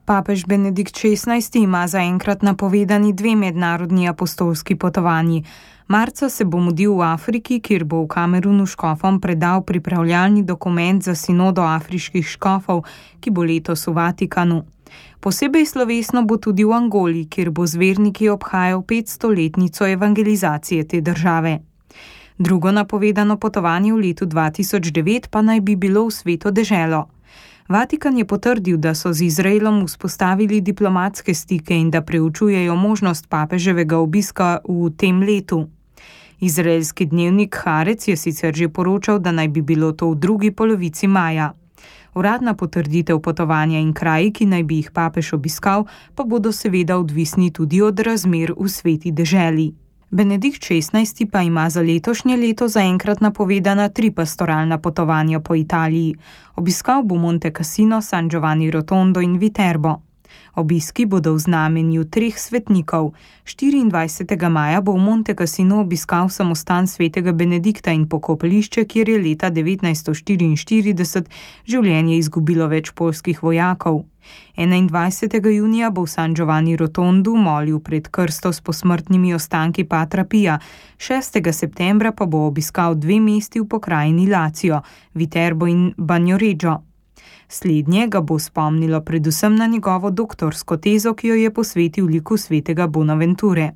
Papež Benedikt XVI ima zaenkrat napovedani 2 mednarodni apostolski potovanji. Marca se bo mudil v Afriki, kjer bo v Kamerunu škofom predal pripravljalni dokument za sinodo afriških škofov, ki bo letos v Vatikanu. Posebej slovesno bo tudi v Angoli, kjer bo z verniki obhajal 500-letnico evangelizacije te države. Drugo napovedano potovanje v letu 2009 pa naj bi bilo v Sveto deželo. Vatikan je potrdil, da so z Izraelom vzpostavili diplomatske stike in da preučujejo možnost papeževega obiska v tem letu. Izraelski dnevnik Haaretz je sicer že poročal, da naj bi bilo to v drugi polovici maja. Uradna potrditev potovanja in kraji, ki naj bi jih papež obiskal, pa bodo seveda odvisni tudi od razmer v Sveti deželi. Benedikt XVI pa ima za letošnje leto zaenkrat napovedana 3 pastoralna potovanja po Italiji. Obiskal bo Monte Cassino, San Giovanni Rotondo in Viterbo. Obiski bodo v znamenju 3 svetnikov. 24. maja bo v Monte Cassino obiskal samostan svetega Benedikta in pokopališče, kjer je leta 1944 življenje izgubilo več poljskih vojakov. 21. junija bo v San Giovanni Rotondu molil pred krsto s posmrtnimi ostanki Patra Pija, 6. septembra pa bo obiskal 2 mesti v pokrajini Lazio, Viterbo in Bagnoregio. Slednje ga bo spomnilo predvsem na njegovo doktorsko tezo, ki jo je posvetil liku svetega Bonaventure.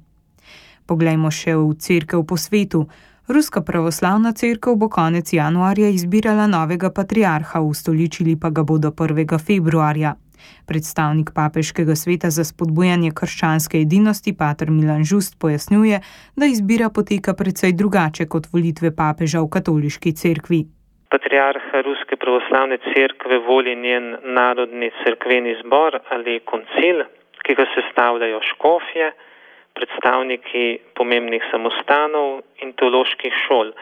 Poglejmo še v cerkev po svetu. Ruska pravoslavna cerkev bo konec januarja izbirala novega patriarha, ustoličili pa ga bodo 1. februarja. Predstavnik papeškega sveta za spodbujanje krščanske edinosti, pater Milan Žust, pojasnjuje, da izbira poteka precej drugače kot volitve papeža v katoliški cerkvi. Patriarha Ruske pravoslavne cerkve voli njen narodni cerkveni zbor ali koncil, ki ga sestavljajo škofje, predstavniki pomembnih samostanov in teoloških šol.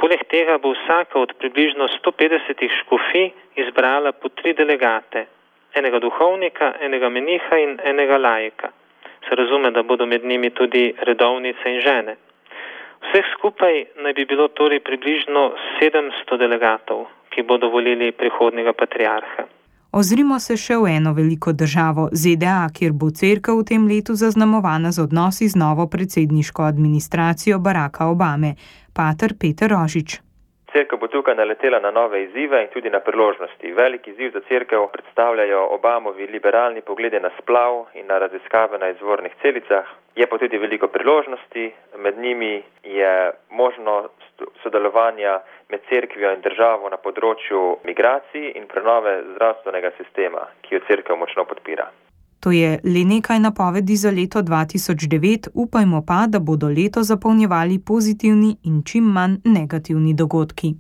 Poleg tega bo vsaka od približno 150 škofij izbrala po 3 delegate, enega duhovnika, enega meniha in enega laika. Se razume, da bodo med njimi tudi redovnice in žene. Vseh skupaj naj bi bilo torej približno 700 delegatov, ki bodo volili prihodnjega patriarha. Ozrimo se še v eno veliko državo, ZDA, kjer bo cerkev v tem letu zaznamovana z odnosi z novo predsedniško administracijo Baracka Obame. Pater Peter Rožič. Cerkev bo tukaj naletela na nove izzive in tudi na priložnosti. Velik izziv za cerkev predstavljajo Obamovi liberalni pogledi na splav in na raziskave na izvornih celicah. Je pa tudi veliko priložnosti, med njimi je možnost sodelovanja med cerkvijo in državo na področju migracij in prenove zdravstvenega sistema, ki jo cerkev močno podpira. To je le nekaj napovedi za leto 2009, upajmo pa, da bodo leto zapolnjevali pozitivni in čim manj negativni dogodki.